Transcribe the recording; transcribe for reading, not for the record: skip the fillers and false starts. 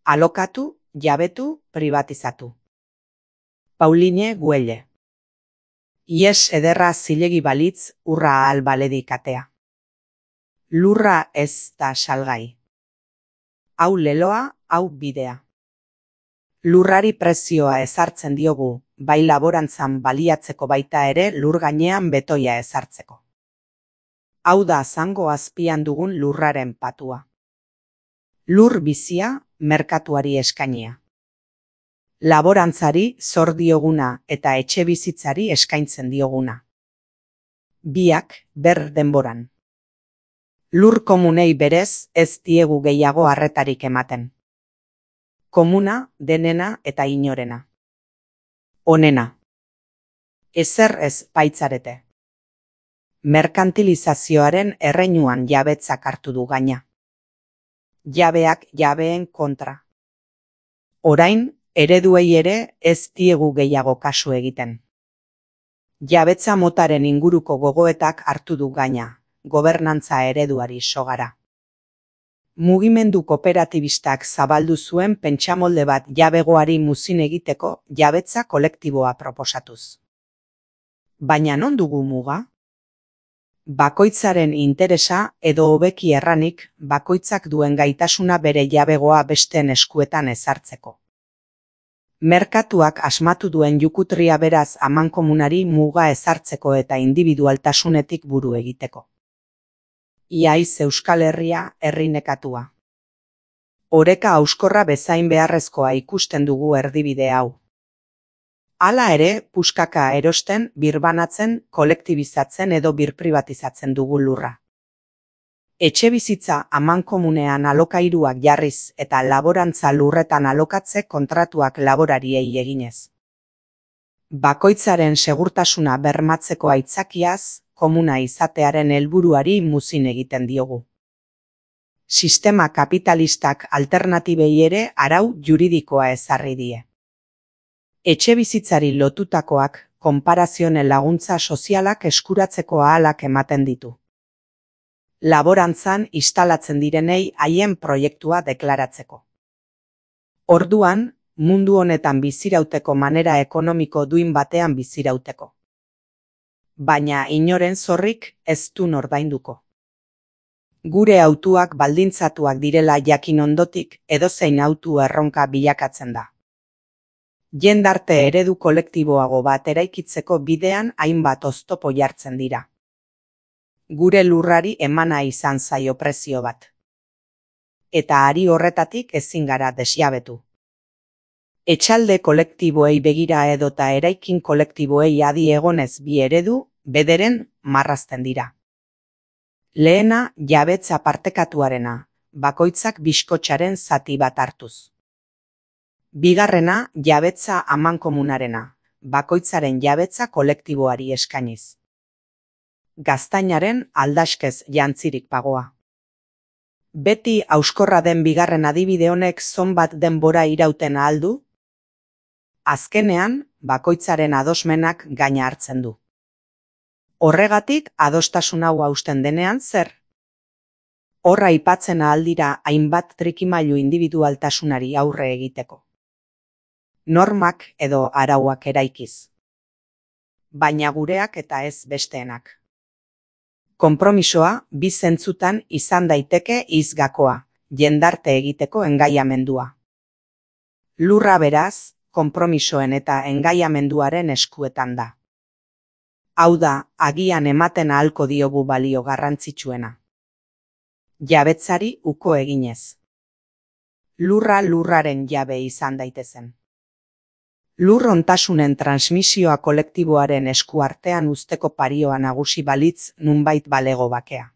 Alokatu, jabetu, pribatizatu. Pauline Güelle. Ies ederra zilegi balitz, urra ahal baledik atea. Lurra ez da salgai. Hau leloa, hau bidea. Lurrari prezioa ezartzen diogu, bai laborantzan baliatzeko baita ere lur gainean betoia ezartzeko. Hau da zango azpian dugun lurraren patua. Lur bizia, merkatuari eskainia. Laborantzari zor dioguna eta etxe bizitzari eskaintzen dioguna. Biak ber denboran. Lur komunei berez ez diegu gehiago arretarik ematen. Komuna, denena eta inorena. Onena. Ezer ez baitzarete. Merkantilizazioaren erreinuan jabetzak hartu du gaina. Jabeak jabeen kontra. Orain, ereduei ere ez diegu gehiago kasu egiten. Jabetza motaren inguruko gogoetak hartu du gaina, gobernantza ereduari sogara. Mugimendu kooperatibistak zabaldu zuen pentsamolde bat jabegoari muzin egiteko jabetza kolektiboa proposatuz. Baina non dugu muga? Bakoitzaren interesa edo hobeki erranik bakoitzak duen gaitasuna bere jabegoa besteen eskuetan ezartzeko. Merkatuak asmatu duen jukutria beraz amankomunari muga ezartzeko eta indibidualtasunetik buru egiteko. Iaiz Euskal Herria herri nekatua. Oreka hauskorra bezain beharrezkoa ikusten dugu erdibide hau. Hala ere, puskaka erosten, birbanatzen, kolektibizatzen edo birpribatizatzen dugu lurra. Etxe bizitza amankomunean alokairuak jarriz eta laborantza lurretan alokatze kontratuak laborariei eginez. Bakoitzaren segurtasuna bermatzeko aitzakiaz, komuna izatearen helburuari muzin egiten diogu. Sistema kapitalistak alternatibei ere arau juridikoa ezarri die. Etxe bizitzari lotutakoak konparazioen laguntza sozialak eskuratzeko ahalak ematen ditu. Laborantzan instalatzen direnei haien proiektua deklaratzeko. Orduan, mundu honetan bizirauteko manera ekonomiko duin batean bizirauteko. Baina inoren zorrik ez du ordainduko. Gure autuak baldintzatuak direla jakin ondotik edozein autu erronka bilakatzen da. Jendarte eredu kolektiboago bat eraikitzeko bidean hainbat oztopo jartzen dira. Gure lurrari emana izan zaio prezio bat. Eta ari horretatik ezin gara desjabetu. Etxalde kolektiboei begira edota eraikin kolektiboei adi egonez bi eredu, bederen marrazten dira. Lehena jabetza partekatuarena, bakoitzak bizkotxaren zati bat hartuz. Bigarrena jabetza amankomunarena, bakoitzaren jabetza kolektiboari eskainiz. Gaztainaren aldaskez jantzirik pagoa. Beti hauskorra den bigarren adibide honek zonbat denbora irauten ahal du? Azkenean, bakoitzaren adosmenak gaina hartzen du. Horregatik adostasun hau hausten denean zer? Horra aipatzen ahal dira hainbat trikimailu indibidualtasunari aurre egiteko. Normak edo arauak eraikiz. Baina gureak eta ez besteenak. Konpromisoa bi zentzutan izan daiteke hizgakoa, jendarte egiteko engaiamendua. Lurra beraz, konpromisoen eta engaiamenduaren eskuetan da. Hau da, agian ematen ahalko diogu balio garrantzitsuena. Jabetzari uko eginez. Lurra lurraren jabe izan daitezen. Lur ontasunen transmisioa kolektiboaren esku artean uzteko parioa nagusi balitz nunbait balego bakea.